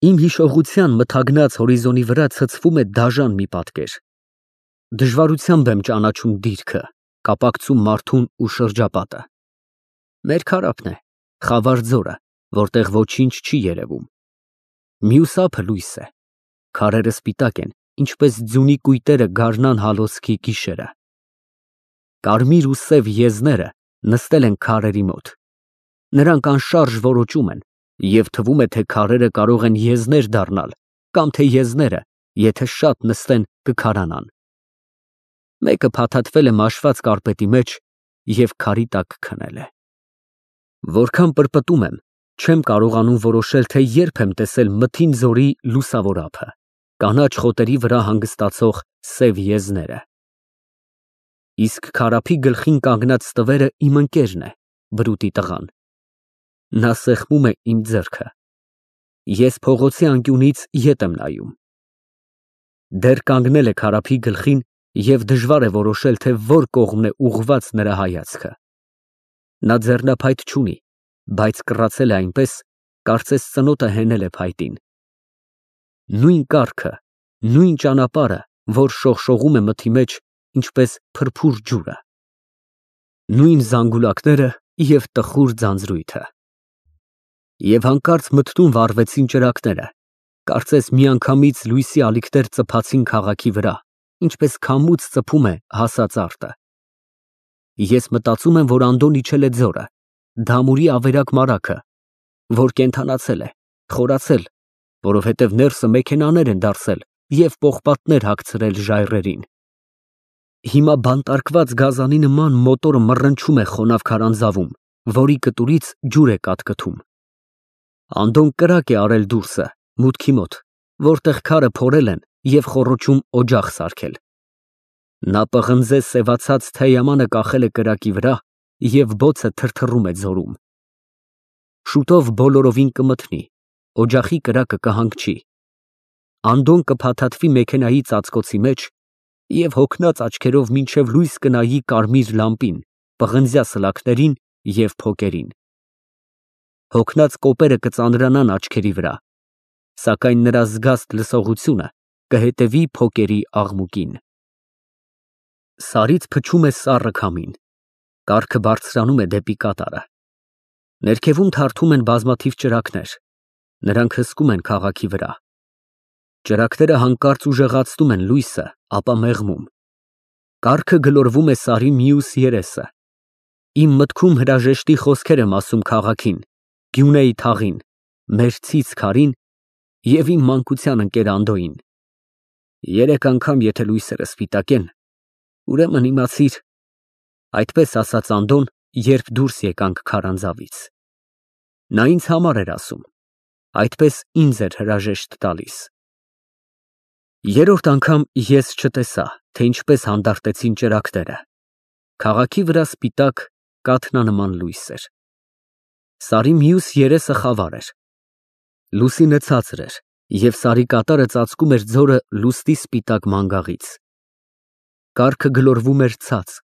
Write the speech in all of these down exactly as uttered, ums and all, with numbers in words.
Իմ հիշողության մթագնած հորիզոնի վրա ցցվում է դաժան մի պատկեր։ Դժվարությամբ եմ ճանաչում դիրքը, կապակցում մարդուն ու շրջապատը։ Մեր քարափն է, խավար ձորը, որտեղ ոչինչ չի երևում։ Մյուս ափը լույս է, քարերը սպիտակ են, ինչպես ձյունի կույտերը գարնան հալոցքի գիշերը։ Կարմիր ու սև եզները նստել են քարերի մոտ։ Նրանք անշարժ որոճում են, և թվում է, թե քարերը կարող են եզներ դառնալ, կամ թե եզները, եթե շատ նստեն, կքարանան։ Մեկը փաթաթվել է մաշված կարպետի մեջ և քարի տակ քնել է։ Որքան պրպտում եմ, չեմ կարողանում որոշել, թե երբ եմ տեսել մթին ձորի լուսավոր ափը, կանաչ խոտերի վրա հանգստացող սև եզները։ Իսկ քարափի գլխին կանգնած տվերը իմ ընկերն է, բրուտի տղան։ Նա սեղմում է իմ ձեռքը։ Ես փողոցի անկյունից ետ եմ նայում։ Դեռ կանգնել է քարափի գլխին և դժվար է որոշել, թե որ կողմն է ուղղված նրա հայացքը։ Նա ձեռնափայտ չունի, բայց կռացել է այնպես, կարծես ծնոտը հենել է փայտին։ Նույն կառքը, նույն ճանապարհը, որ շողշողում է մթի մեջ, ինչպես փրփուր ջուրը։ Նույն զանգուլակները և տխուր ձանձրույթը։ Եվ հանկարծ մթնում վառվեցին ճրագները, կարծես միանգամից լույսի ալիքներ ծփացին քաղաքի վրա, ինչպես քամուց ծփում է հասած արտը։ Ես մտածում եմ, որ Անդոն իջել է ձորը, Դամուրի ավերակ մարագը, որ կենդանացել է, խորացել, որովհետև ներսը մեքենաներ են դարսել և պողպատներ հագցրել ժայռերին։ Հիմա բանտարկված գազանի նման մոտորը մռնչում է խոնավ քարանձավում, որի կտուրից ջուր է կաթկթում։ Անդոն կրակ է արել դուրսը, մուտքի մոտ, որտեղ քարը փորել են և խոռոչում օջախ սարքել։ Նա պղնձե սևացած թեյամանը կախել է կրակի վրա և բոցը թրթռում է ձորում։ Շուտով բոլորովին կմթնի, օջախի կրակը կհանգչի։ Անդոն կփաթաթվի մեքենայի ծածկոցի մեջ և հոգնած աչքերով մինչև լույս կնայի կարմիր լամպին, պղնձյա սլաքներին և փոկերին։ Հոգնած կոպերը կծանրանան աչքերի վրա, սակայն նրա զգաստ լսողությունը կհետևի փոկերի աղմուկին։ Սարից փչում է սառը քամին, կառքը բարձրանում է դեպի կատարը։ Ներքևում թարթում են բազմաթիվ ճրագներ, նրանք հսկում են քաղաքի վրա։ Ճրագները հանկարծ ուժեղացնում են լույսը, ապա մեղմում։ Կառքը գլորվում է սարի մյուս երեսը։ Իմ մտքում հրաժեշտի խոսքեր եմ ասում քաղաքին, Գյունեի թաղին, մեր ցից քարին և իմ մանկության ընկեր Անդոյին։ Երեք անգամ եթե լույսերը սպիտակեն, ուրեմն իմացիր, այդպես ասաց Անդոն, երբ դուրս եկանք քարանձավից։ Նա ինձ համար էր ասում, այդպես ինձ էր հրաժեշտ տալիս։ Երրորդ անգամ ես չտեսա, թե ինչպես հանդարտեցին ճրագները։ Քաղաքի վրա սպիտակ, կաթնանման լույս էր։ Սարի մյուս երեսը խավար էր։ Լուսինը ցածր էր, և սարի կատարը ծածկում էր ձորը լուսնի սպիտակ մանգաղից։ Կառքը գլորվում էր ցած,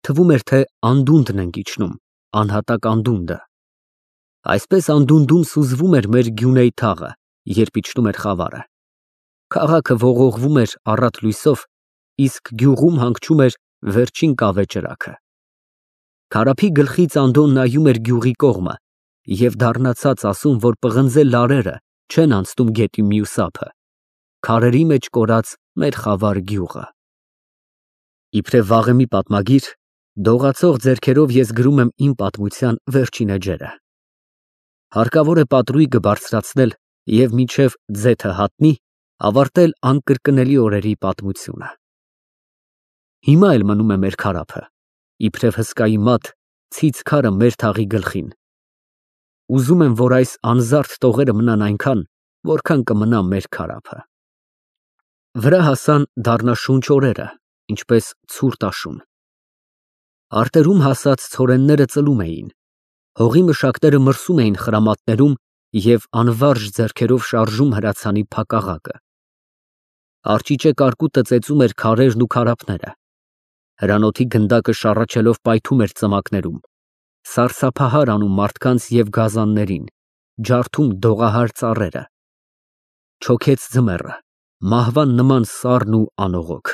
թվում էր, թե անդունդն ենք իջնում, անհատակ անդունդը։ Այսպես անդունդում սուզվում էր մեր Գյունեի թաղը, երբ իջնում էր խավարը։ Քաղաքը ողողվում էր առատ լույսով, իսկ գյուղում հանգչում էր վերջին կավե ճրագը։ Քարափի գլխից Անդոն նայում էր գյուղի կողմը և դառնացած ասում, որ պղնձե լարերը չեն անցնում գետի մյուս ափը, քարերի մեջ կորած մեր խավար գյուղը։ Իբրև վաղեմի պատմագիր, դողացող ձեռքերով ես գրում եմ իմ պատմության վերջին էջերը։ Հարկավոր է պատրույգը բարձրացնել և մինչև ձեթը հատնի, ավարտել անկրկնելի օրերի պատմությունը։ Հիմա էլ մնում է մեր քարափը, իբրև հսկայի մատ, ցից քարը մեր թաղի գլխին։ Ուզում եմ, որ այս անզարդ տողերը մնան այնքան, որքան կմնա մեր քարափը։ Վրա հասան դառնաշունչ օրերը, ինչպես ցուրտ աշուն։ Արտերում հասած ցորենները ծլում էին, հողի մշակները մրսում էին խրամատներում և անվարժ ձեռքերով շարժում հրացանի փակաղակը։ Արճիճե կարկուտը ծեծում էր քարերն ու քարափները։ Հրանոթի գնդակը շառաչելով պայթում էր ծմակներում, սարսափահար անում մարդկանց և գազաններին, ջարդում դողահար ծառերը։ Չոքեց ձմեռը, մահվան նման սառն ու անողոք։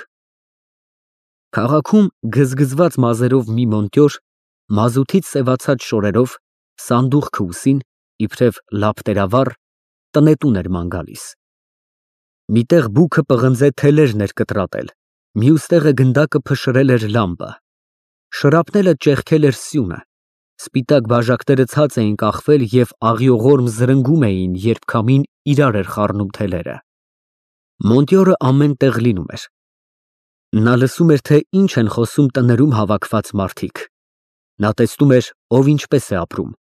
Քաղաքում գզգզված մազերով մի մոնտյոր, մազութից սևացած շորերով, սանդուղքը ուսին, իբրև լապտերավառ, տնետուն էր ման գալիս։ Մի տեղ բուքը պղնձե թելերն էր կտրատել, մյուս տեղը գնդակը փշրել էր լամպը, շրապնելը ճեղքել էր սյունը, սպիտակ բաժակները ցած էին կախվել և աղիողորմ զրնգում էին, երբ քամին իրար էր խառնում թելերը։ Մոնտյորը ամեն տեղ լինում էր։ Նա լսում էր, թե ինչ են խոսում տներում հավաքված մարդիկ։ Նա տեսնում էր, ով ինչպես է ապրում։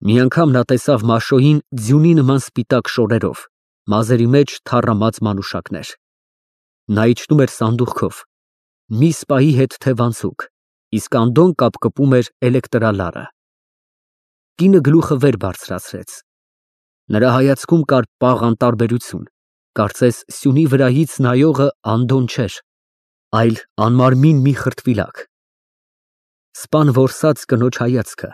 Մի անգամ նա տեսավ Մաշոյին ձյունի նման սպիտակ շորերով, մազերի մեջ թառամած մանուշակներ։ Նա իջնում էր սանդուղքով, մի սպայի հետ թևանցուկ, իսկ Անդոն կապկպում էր էլեկտրալարը։ Կինը գլուխը վեր բարձրացրեց։ Նրա հայացքում կար պաղ անտարբերություն, կարծես սյունի վրայից նայողը Անդոն չէր, այլ անմարմին մի խրտվիլակ։ Սպան որսաց կնոջ հայացքը,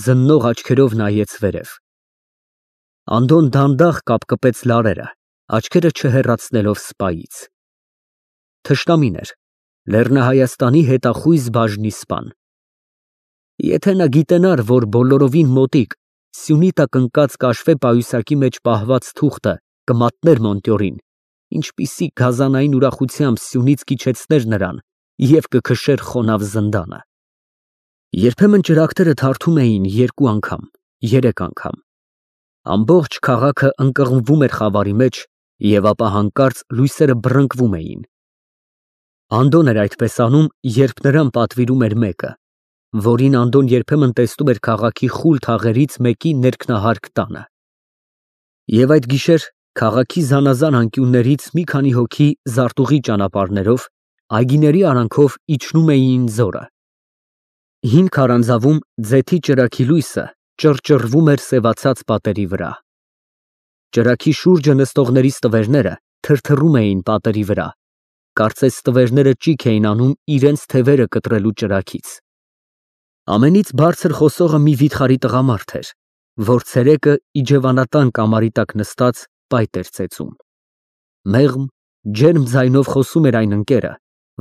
զննող աչքերով նայեց վերև։ Անդոն դանդաղ կապկպեց լարերը, աչքերը չհեռացնելով սպայից։ Թշնամին էր, Լեռնահայաստանի հետախույզ բաժնի սպան։ Եթե նա գիտենար, որ բոլորովին մոտիկ, սյունի տակ ընկած կաշվե պայուսակի մեջ պահված թուղթը կմատներ մոնտյորին, ինչպիսի գազանային ուրախությամբ սյունից կիջեցներ նրան և կքշեր խոնավ զնդանը։ Երբեմն ճրագները թարթում էին երկու անգամ, երեք անգամ։ Ամբողջ քաղաքը ընկղմվում էր խավարի մեջ, և ապա հանկարծ լույսերը բռնկվում էին։ Անդոն էր այդպես անում, երբ նրան պատվիրում էր մեկը, որին Անդոն երբեմն տեսնում էր քաղաքի խուլ թաղերից մեկի ներքնահարկ տանը։ Եվ այդ գիշեր քաղաքի զանազան անկյուններից մի քանի հոգի զարտուղի ճանապարհներով, այգիների արանքով իջնում էին ձորը։ Հին քարանձավում ձեթի ճրագի լույսը ճռճռվում էր սևացած պատերի վրա։ Ճրագի շուրջը նստողների ստվերները թրթռում էին պատերի վրա, կարծես ստվերները ճիգ էին անում իրենց թևերը կտրելու ճրագից։ Ամենից բարձր խոսողը մի վիթխարի տղամարդ էր, որ ցերեկը իջևանատան կամարի տակ նստած պայտ էր ծեծում։ Մեղմ, ջերմ ձայնով խոսում էր այն ընկերը,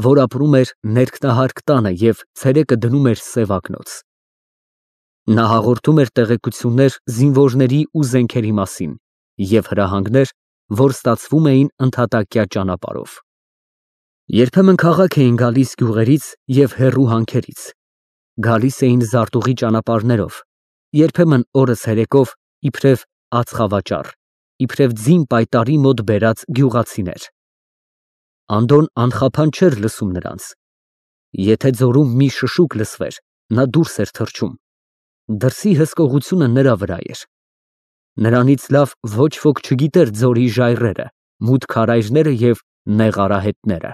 որ ապրում էր ներքնահարկ տանը և ցերեկը դնում էր սևակնոց։ Նա հաղորդում էր տեղեկություններ զինվորների ու զենքերի մասին և հրահանգներ, որ ստացվում էին ընդհատակյա ճանապարհով։ Երբեմն քաղաք էին գալիս գյուղերից և հեռու հանքերից, գալիս էին զարտուղի ճանապարհներով, երբեմն օրը ցերեկով, իբրև ածխավաճառ, իբրև ձին պայտարի մոտ բերած գյուղացիներ։ Անդոն անխափան չէր լսում նրանց։ Եթե ձորում մի շշուկ լսվեր, նա դուրս էր թռչում։ Դրսի հսկողությունը նրա վրա էր։ Նրանից լավ ոչ ոք չգիտեր ձորի ժայռերը, մութ քարայրները և նեղ արահետները։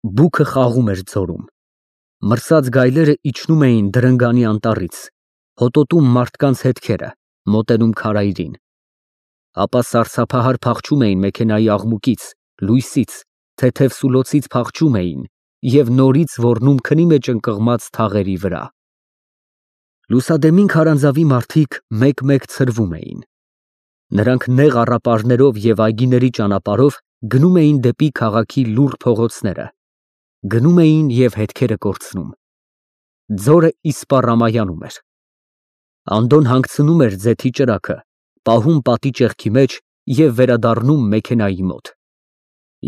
Բուքը խաղում էր ձորում։ Մրսած գայլերը իջնում էին դրնգանի անտառից, հոտոտում մարդկանց հետքերը, մոտենում քարայրին։ Ապա սարսափահար փախչում էին մեքենայի աղմուկից, լույսից, թեթև սուլոցից փախչում էին և նորից ոռնում քնի մեջ ընկղմած թաղերի վրա։ Լուսադեմին քարանձավի մարդիկ մեկ֊մեկ ցրվում էին։ Նրանք նեղ առապարներով և այգիների ճանապարհով գնում էին դեպի քաղաքի լուռ փողոցները, գնում էին և հետքերը կորցնում։ Ձորը իսպառ ամայանում էր։ Անդոն հանգցնում էր ձեթի ճրագը, պահում պատի ճեղքի մեջ և վերադառնում մեքենայի մոտ։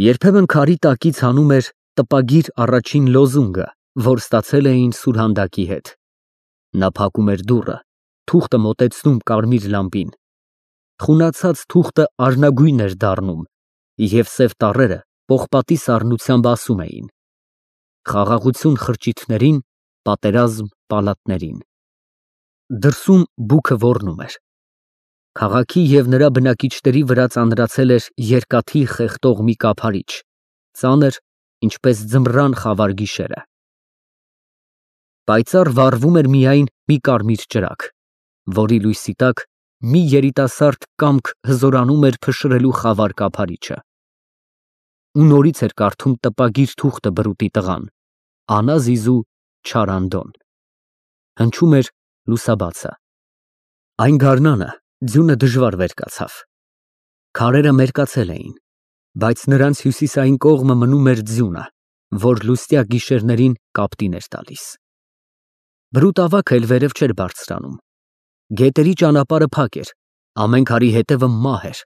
Երբեմն քարի տակից հանում էր տպագիր առաջին լոզունգը, որ ստացել էին սուրհանդակի հետ։ Նա փակում էր դուռը, թուղթը մոտեցնում կարմիր լամպին։ Խունացած թուղթը արնագույն էր դառնում, և սև տառերը պողպատի սառնությամբ ասում էին. «Խաղաղություն խրճիթներին, պատերազմ պալատներին»։ Դրսում բուքը ոռնում էր։ Քաղաքի և նրա բնակիչների վրա ծանրացել էր երկաթի խեղդող մի կափարիչ, ծանր, ինչպես ձմռան խավար գիշերը։ Պայծառ վառվում էր միայն մի կարմիր ճրագ, որի լույսի տակ մի երիտասարդ կամք հզորանում էր փշրելու խավար կափարիչը։ Ու նորից էր կարդում տպագիր թուղթը բրուտի տղան, անազիզու չար Անդոն։ Հնչում էր լուսաբացը։ Այն գարնանը ձյունը դժվար վեր կացավ։ Քարերը մերկացել էին, բայց նրանց հյուսիսային կողմը մնում էր ձյունը, որ լուսյա գիշերներին կապտին էր տալիս։ Բրուտ ավագը էլ վերև չէր բարձրանում։ Գետերի ճանապարհը փակ էր, ամեն քարի հետևը մահ էր։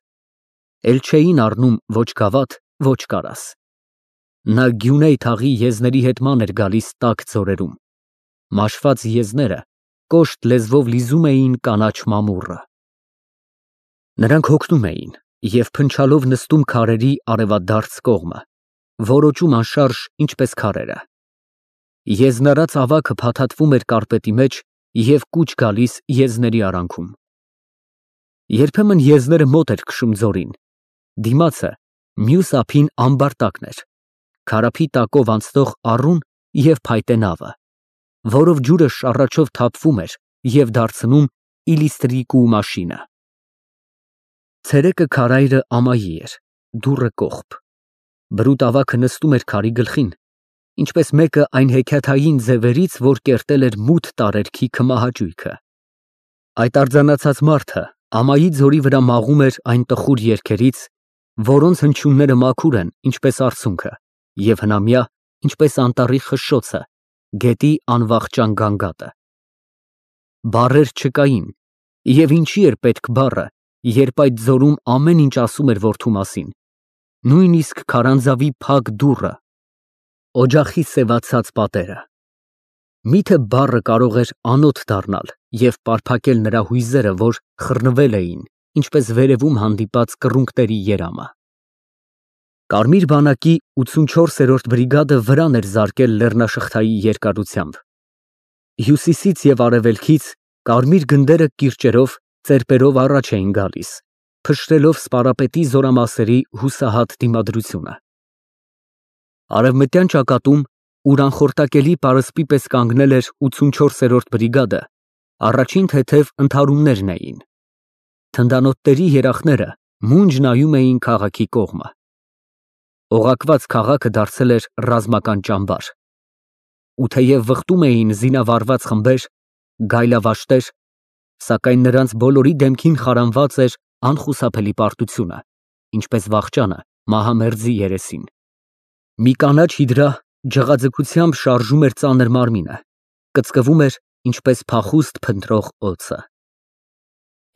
Էլ չէին առնում ոչ գավաթ, ոչ կարաս։ Նա Գյունեյ թաղի եզների հետ ման էր գալիս տաք ձորերում։ Մաշված եզները կոշտ լեզվով լիզում էին կանաչ մամուռը։ Նրանք հոգնում էին և փնչալով նստում քարերի արևադարձ կողմը, որոճում անշարժ, ինչպես քարերը։ Եզնարած ավագը փաթաթվում էր կարպետի մեջ և կուչ գալիս եզների արանքում։ Երբեմն եզները մոտ էր քշում ձորին, դիմացը մյուս ափին ամբարտակն էր, քարափի տակով անցնող առուն և փայտե նավը, որով ջուրը շառաչով թափվում էր և դարձնում իլիստրիկու մաշինը։ Ցերեկը քարայրը ամայի էր, դուռը կողպ։ Բրուտ ավագը նստում էր քարի գլխին, ինչպես մեկը այն հեքիաթային ձևերից, որ կերտել էր մութ տարերքի քմահաճույքը։ Այդ արձանացած մարդը ամայի ձորի վրա մաղում էր այն տխուր երգերից, որոնց հնչյունները մաքուր են, ինչպես արցունքը, և հնամյա, ինչպես անտառի խշշոցը, գետի անվախճան գանգատը։ Բառեր չկային, և ինչի էր պետք բառը, երբ այդ ձորում ամեն ինչ ասում էր որդու մասին, նույնիսկ քարանձավի փակ դուռը, օջախի սևացած պատերը։ Միթե բառը կարող էր անոթ դառնալ և պարփակել նրա հույզերը, որ խռնվել էին, ինչպես վերևում հանդիպած կռունկների երամը։ Կարմիր բանակի ութսունչորսերորդ բրիգադը վրան էր զարկել լեռնաշղթայի երկարությամբ։ Հյուսիսից և արևելքից կարմիր գնդերը կիրճերով, ծերպերով առաջ էին գալիս, փշրելով սպարապետի զորամասերի հուսահատ դիմադրությունը։ Արևմտյան ճակատում, ուր անխորտակելի պարսպի պես կանգնել էր ութսունչորսերորդ բրիգադը, առաջին թեթև ընդհարումներն էին։ Թնդանոթների երախները մունջ նայում էին քաղաքի կողմը։ Օղակված քաղաքը դարձել էր ռազմական ճամբար։ Ու թեև վխտում էին զինավառված խմբեր, գայլավաշտեր, սակայն նրանց բոլորի դեմքին խարանված էր անխուսափելի պարտությունը, ինչպես վախճանը մահամերձի երեսին։ Մի կանաչ հիդրա ջղաձգությամբ շարժում էր ծանր մարմինը, կծկվում էր, ինչպես փախուստ փնտրող օձը։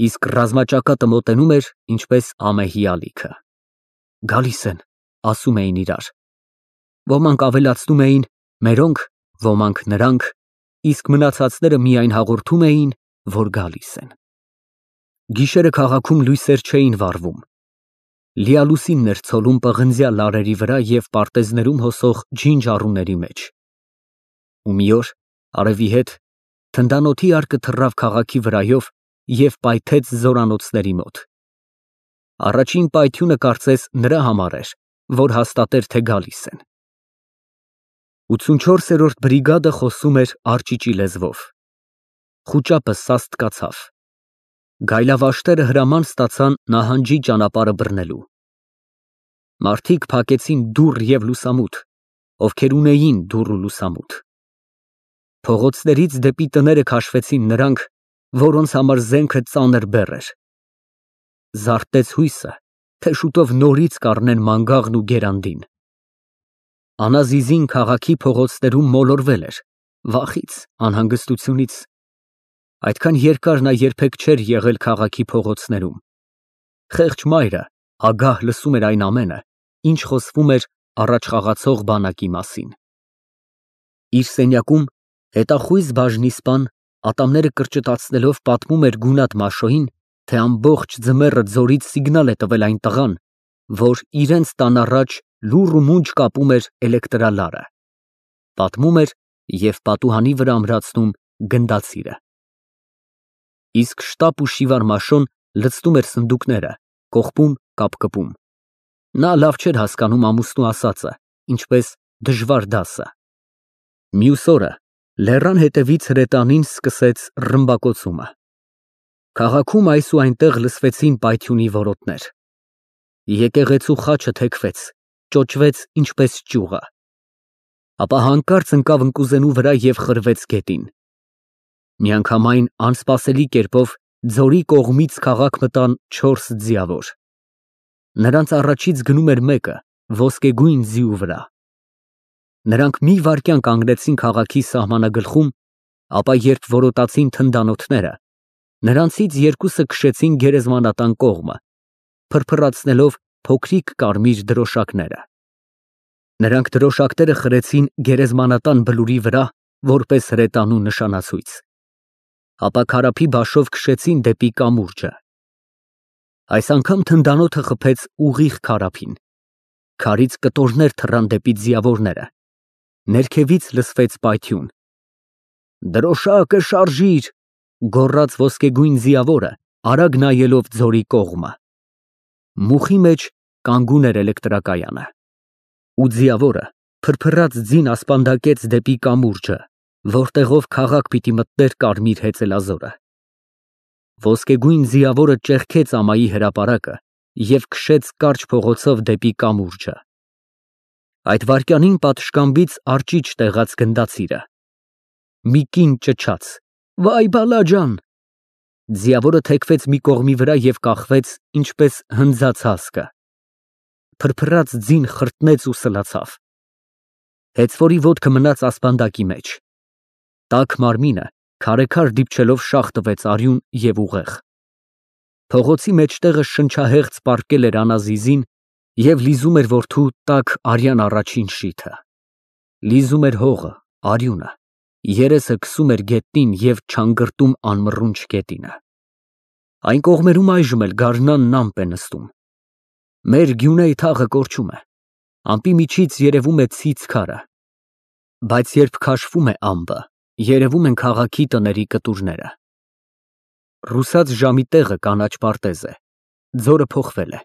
Իսկ ռազմաճակատը մոտենում էր, ինչպես ամեհի ալիքը։ Գալիս են, ասում էին իրար։ Ոմանք ավելացնում էին մերոնք, ոմանք նրանք, իսկ մնացածները միայն հաղորդում էին, որ գալիս են։ Գիշերը քաղաքում լույսեր չէին վառվում։ Լիալուսինն էր ցոլում պղնձյա լարերի վրա և պարտեզներում հոսող ջինջ առուների մեջ։ Ու մի օր, արևի հետ, թնդանոթի արկը թռավ քաղաքի վրայով և պայթեց զորանոցների մոտ։ Առաջին պայթյունը կարծես նրա համար էր, որ հաստատեր, թե գալիս են։ ութսունչորսերորդ բրիգադը խոսում էր արճիճի լեզվով։ Խուճապը սաստկացավ։ Գայլավաշտերը հրաման ստացան նահանջի ճանապարհը բռնելու։ Մարդիկ փակեցին դուռ և լուսամուտ, ովքեր ունեին դուռ ու լուսամուտ։ Փողոցներից դեպի տները քաշվեցին նրանք, որոնց համար զենքը ծանր բեռ էր։ Զարթեց հույսը, թե շուտով նորից կառնեն մանգաղն ու գերանդին։ Անազիզին քաղաքի փողոցներում մոլորվել էր, վախից, անհանգստությունից։ Այդքան երկար նա երբեք չէր եղել քաղաքի փողոցներում։ Խեղճ մայրը ագահ լսում էր այն ամենը, ինչ խոսվում էր առաջ խաղացող բանակի մասին։ Իր սենյակում հետախույզ բաժնիսպան ատամները կրճտացնելով պատմում էր գունատ Մաշոյին, թե ամբողջ ձմեռը ձորից սիգնալ է տվել այն տղան, որ իրենց տան առաջ լուռ ու մունջ կապում էր էլեկտրալարը։ Պատմում էր և պատուհանի վրա ամրացնում գնդացիրը։ Իսկ շտապ ու շիվար Մաշոն լցնում էր սնդուկները, կողպում, կապկպում։ Նա լավ չէր հասկանում ամուսնու ասածը, ինչպես դժվար դասը։ Մյուս օրը լեռան հետևից հրետանին սկսեց ռմբակոծումը։ Քաղաքում այս ու այնտեղ լսվեցին պայթյունի որոտներ։ Եկեղեցու խաչը թեքվեց, ճոճվեց ինչպես ճյուղը։ Ապա հանկարծ ընկավ ընկուզենու վրա և խրվեց գետին։ Միանգամայն անսպասելի կերպով ձորի կողմից քաղաք մտան չորս ձիավոր։ Նրանց առաջից գնում էր մեկը ոսկեգույն ձիու վրա։ Նրանք մի վայրկյան կանգնեցին քաղաքի սահմանագլխում, ապա երբ որոտացին թնդանոթները, նրանցից երկուսը քշեցին գերեզմանատան կողմը, փրփրացնելով փոքրիկ կարմիր դրոշակները։ Նրանք դրոշակները խրեցին գերեզմանատան բլուրի վրա, որպես հրետանու նշանացույց, ապա քարափի բաշով քշեցին դեպի կամուրջը։ Այս անգամ թնդանոթը խփեց ուղիղ քարափին, քարից կտորներ թռան դեպի ձիավորները, ներքևից լսվեց պայթյուն։ «Դրոշակը շարժիր», գոռաց ոսկեգույն ձիավորը, արագ նայելով ձորի կողմը։ Մուխի մեջ կանգուն էր էլեկտրակայանը։ Ու ձիավորը փրփրած ձին ասպանդակեց դեպի կամուրջը, որտեղով քաղաք պիտի մտներ կարմիր հեծելազորը։ Ոսկեգույն ձիավորը ճեղքեց ամայի հրապարակը և քշեց կարճ փողոցով դեպի կամուրջը։ Այդ վայրկյանին պատշգամբից արջիջ տեղաց գնդացիրը։ Մի կին ճչաց. «Վայ բալաջան»։ Ձիավորը թեքվեց մի կողմի վրա և կախվեց, ինչպես հնձած հասկը։ Փրփրած ձին խրտնեց ու սլացավ։ Հեծվորի ոտքը մնաց ասպանդակի մեջ։ Տաք մարմինը քարեքար դիպչելով շաղ տվեց արյուն և ուղեղ։ Փողոցի մեջտեղը շնչահեղձ պառկել էր Անազիզին և լիզում էր որդու տաք արյան առաջին շիթը։ Լիզում էր հողը, արյունը, երեսը քսում էր գետնին և չանգրտում անմռունչ գետինը։ Այն կողմերում այժմ էլ գարնանն ամպ է նստում։ Մեր գյունեի թաղը կորչում է, ամպի միջից երևում է ցից քարը, բայց երբ քաշվում է ամպը, երևում են քաղաքի տների կտուրները։ Ռուսաց ժամի տեղը կանաչ պարտեզ է, ձորը փոխվել է,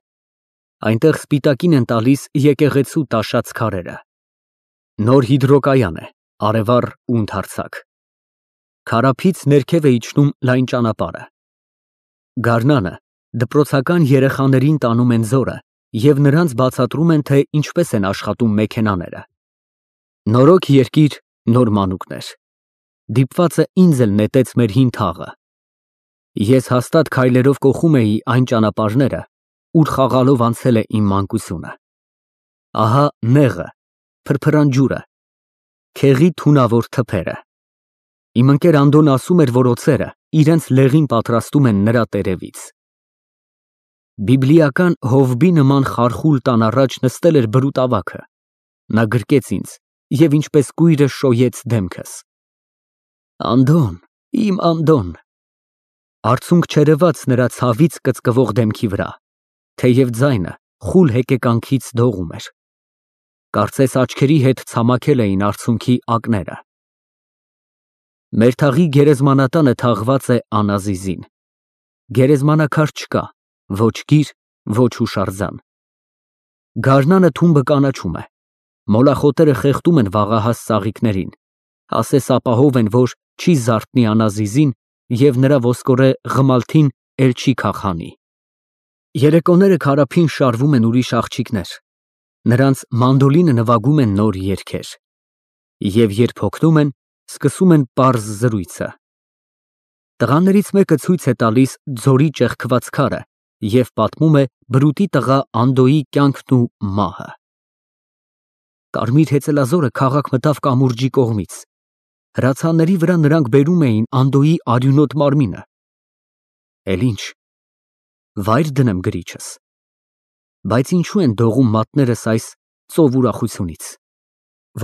այնտեղ սպիտակին են տալիս եկեղեցու տաշած քարերը։ Նոր հիդրոկայան է, արևառ ու ընդարձակ։ Քարափից ներքև է իջնում լայն ճանապարհը։ Գարնանը դպրոցական երեխաներին տանում են ձորը և նրանց բացատրում են, թե ինչպես են աշխատում մեքենաները։ Նորոգ երկիր, նոր մանուկներ։ Դիպվածը ինձ էլ նետեց մեր հին թաղը։ Ես հաստատ քայլերով կոխում էի այն ճանապարհները, ուր խաղալով անցել է իմ մանկությունը։ Ահա նեղը, փրփրան ջուրը, քեղի թունավոր թփերը։ Իմ ընկեր Անդոն ասում էր, որ օձերը իրենց լեղին պատրաստում են նրա տերևից։ Բիբլիական Հովբի նման խարխուլ տան առաջ նստել էր բրուտ ավագը։ Նա գրկեց ինձ և ինչպես կույրը շոյեց դեմքս։ Անդոն, իմ Անդոն։ Արցունք չերևաց նրա ցավից կծկվող դեմքի վրա, թեև ձայնը խուլ հեկեկանքից դողում էր։ Կարծես աչքերի հետ ցամաքել էին արցունքի ակները։ Մեր թաղի գերեզմանատանը թաղված է Անազիզին։ Գերեզմանաքար չկա, ոչ գիր, ոչ հուշարձան։ Գարնանը թումբը կանաչում է, մոլախոտերը խեղդում են վաղահաս ծաղիկներին, ասես ապահով են, որ չի զարթնի Անազիզին և նրա ոսկորե ղմալթին էլ չի քաղհանի։ Երեկոները քարափին շարվում են ուրիշ աղջիկներ, նրանց մանդոլինը նվագում են նոր երգեր, և երբ հոգնում են, սկսում են պարզ զրույցը։ Տղաներից մեկը ցույց է տալիս ձորի ճեղքված քարը և պատմում է բրուտի տղա Անդոյի կյանքն ու մահը։ Կարմիր հեծելազորը քաղաք մտավ կամուրջի կողմից։ Հրացանների վրա նրանք բերում էին Անդոյի արյունոտ մարմինը։ Էլ ինչ, վայր դնեմ գրիչս։ Բայց ինչու են դողում մատներս այս ծով ուրախությունից,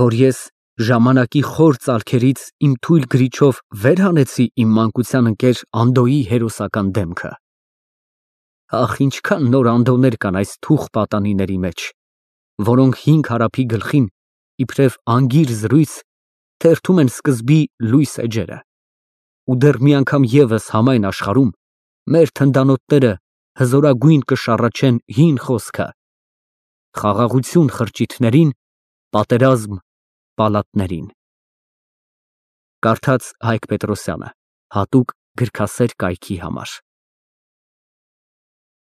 որ ես ժամանակի խոր ծալքերից իմ թույլ գրիչով վեր հանեցի իմ մանկության ընկեր Անդոյի հերոսական դեմքը։ Ախ, ինչքան նոր Անդոներ կան այս թուխ պատանիների մեջ, որոնք հին քարափի գլխին, իբրև անգիր զրույց, թերթում են սկզբի լույս էջերը։ Ու դեռ մի անգամ ևս համայն աշխարհում մեր թնդանոթները հզորագույն կշառաչեն հին խոսքը. խաղաղություն խրճիթներին, պատերազմ պալատներին։ Կարդաց Հայկ Պետրոսյանը, հատուկ գրքասեր կայքի համար։